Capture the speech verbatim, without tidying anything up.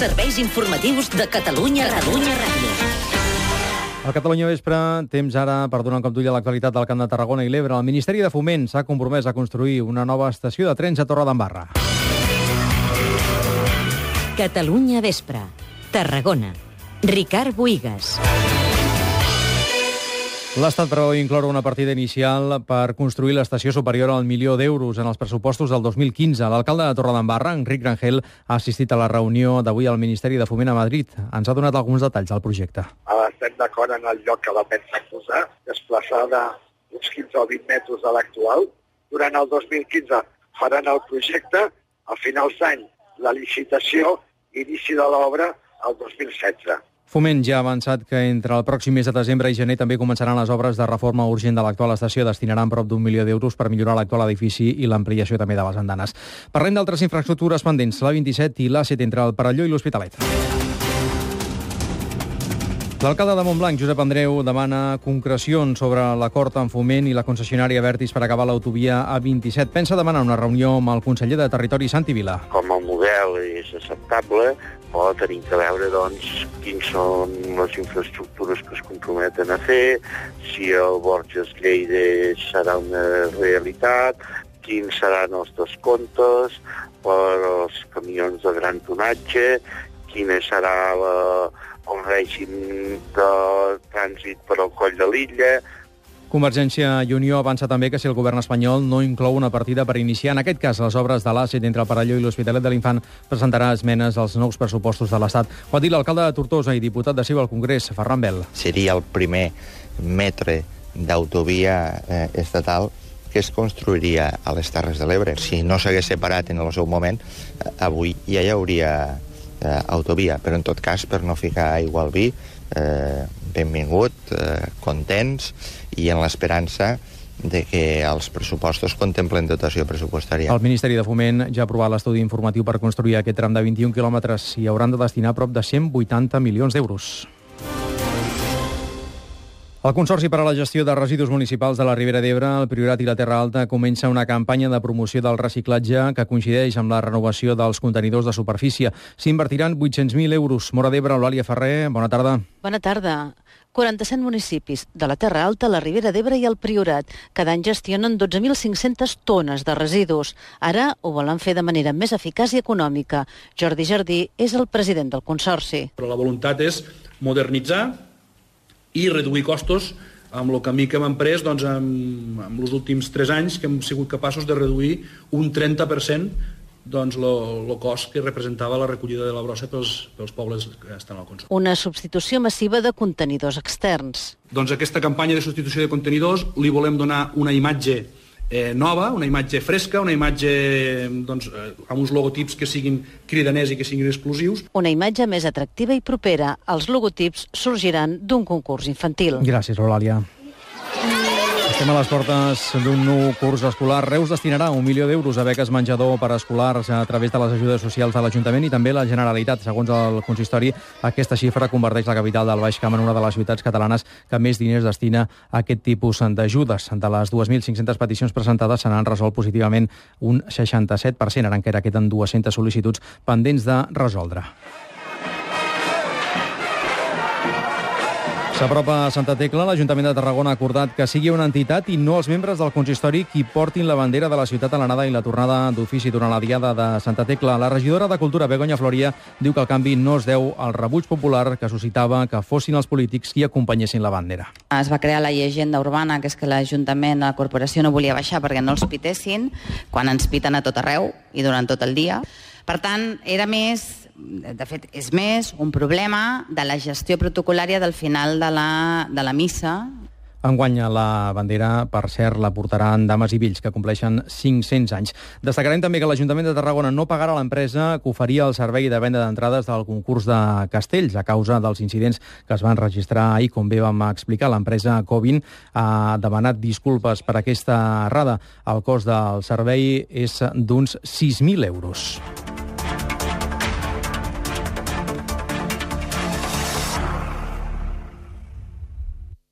Serveis informatius de Catalunya Ràdio. A Catalunya Vespre, temps ara per donar un cop d'ull a l'actualitat del Camp de Tarragona i l'Ebre. El Ministeri de Foment s'ha compromès a construir una nova estació de trens a Torredembarra. Catalunya Vespre, Tarragona. Ricard Bohigas. L'Estat preveu incloure una partida inicial per construir l'estació superior al milió d'euros en els pressupostos del dos mil quinze. L'alcalde de Torredembarra, Enric Rangel, ha assistit a la reunió d'avui al Ministeri de Foment a Madrid. Ens ha donat alguns detalls del projecte. Estem d'acord en el lloc que la pensa posar, desplaçada uns quinze o vint metres de l'actual. Durant el dos mil quinze faran el projecte, a finals d'any la licitació, inici de l'obra el dos mil setze. Foment ja ha avançat que entre el pròxim mes de desembre i gener també començaran les obres de reforma urgent de l'actual estació. Destinaran prop d'un milió d'euros per millorar l'actual edifici i l'ampliació també de les andanes. Parlem d'altres infraestructures pendents, la vint-i-set i l'A set entre el Perelló i l'Hospitalet. L'alcalde de Montblanc, Josep Andreu, demana concrecions sobre l'acord amb Foment i la concessionària Abertis per acabar l'autovia A vint-i-set. Pensa demanar una reunió amb el conseller de Territori, Santi Vila. Com el model és acceptable, però tenim que veure doncs, quins són les infraestructures que es comprometen a fer, si el Borges-Lleida serà una realitat, quins seran els descomptes per als camions de gran tonatge, quina serà la, el règim de trànsit per al Coll de l'Illa. Convergència i Unió avança també que si el govern espanyol no inclou una partida per iniciar, en aquest cas, les obres de l'A set entre el Perelló i l'Hospitalet de l'Infant, presentarà esmenes als nous pressupostos de l'Estat. Ho ha dit l'alcalde de Tortosa i diputat de Ciu al Congrés, Ferran Bel. Seria el primer metre d'autovia eh, estatal que es construiria a les Terres de l'Ebre. Si no s'hagués separat en el seu moment, eh, avui ja hi hauria eh, autovia, però en tot cas, per no ficar aigua al vi, eh, benvingut, eh, contents i en l'esperança de que els pressupostos contemplen dotació pressupostària. El Ministeri de Foment ja ha aprovat l'estudi informatiu per construir aquest tram de vint-i-un quilòmetres i hauran de destinar prop de cent vuitanta milions d'euros. El Consorci per a la Gestió de Residus Municipals de la Ribera d'Ebre, el Priorat i la Terra Alta comença una campanya de promoció del reciclatge que coincideix amb la renovació dels contenidors de superfície. S'invertiran vuit-cents mil euros. Mora d'Ebre, Eulàlia Ferrer, bona tarda. Bona tarda. quaranta-set municipis de la Terra Alta, la Ribera d'Ebre i el Priorat. Cada any gestionen dotze mil cinc-centes tones de residus. Ara ho volen fer de manera més eficaç i econòmica. Jordi Jardí és el president del Consorci. Però la voluntat és modernitzar i reduir costos amb el camí que hem emprès doncs, amb, amb els últims tres anys, que hem sigut capaços de reduir un trenta per cent doncs, el cost que representava la recollida de la brossa pels, pels pobles que estan al Consorci. Una substitució massiva de contenidors externs. Doncs aquesta campanya de substitució de contenidors li volem donar una imatge eh, nova, una imatge fresca, una imatge doncs, eh, amb uns logotips que siguin cridaners i que siguin exclusius. Una imatge més atractiva i propera. Els logotips sorgiran d'un concurs infantil. Gràcies, Eulàlia. Estem a les portes d'un nou curs escolar. Reus destinarà un milió d'euros a beques menjador per a escolars a través de les ajudes socials de l'Ajuntament i també la Generalitat. Segons el consistori, aquesta xifra converteix la capital del Baix Camp en una de les ciutats catalanes que més diners destina a aquest tipus d'ajudes. De les dues mil cinc-centes peticions presentades se n'han resolt positivament un seixanta-set per cent. Ara encara queden dues-centes sol·licituds pendents de resoldre. S'apropa a Santa Tecla, l'Ajuntament de Tarragona ha acordat que sigui una entitat i no els membres del consistori qui portin la bandera de la ciutat a l'anada i la tornada d'ofici durant la diada de Santa Tecla. La regidora de Cultura, Begoña Floria, diu que el canvi no es deu al rebuig popular que suscitava que fossin els polítics qui acompanyessin la bandera. Es va crear la llegenda urbana, que és que l'Ajuntament, la corporació, no volia baixar perquè no els pitessin, quan ens piten a tot arreu i durant tot el dia. Per tant, era més... De fet, és més un problema de la gestió protocolària del final de la, de la missa. Enguany la bandera, per cert, la portaran dames i vells, que compleixen cinc-cents anys. Destacarem també que l'Ajuntament de Tarragona no pagarà a l'empresa que oferia el servei de venda d'entrades del concurs de castells a causa dels incidents que es van registrar ahir. Com bé vam explicar, l'empresa Covin ha demanat disculpes per aquesta errada. El cost del servei és d'uns sis mil euros.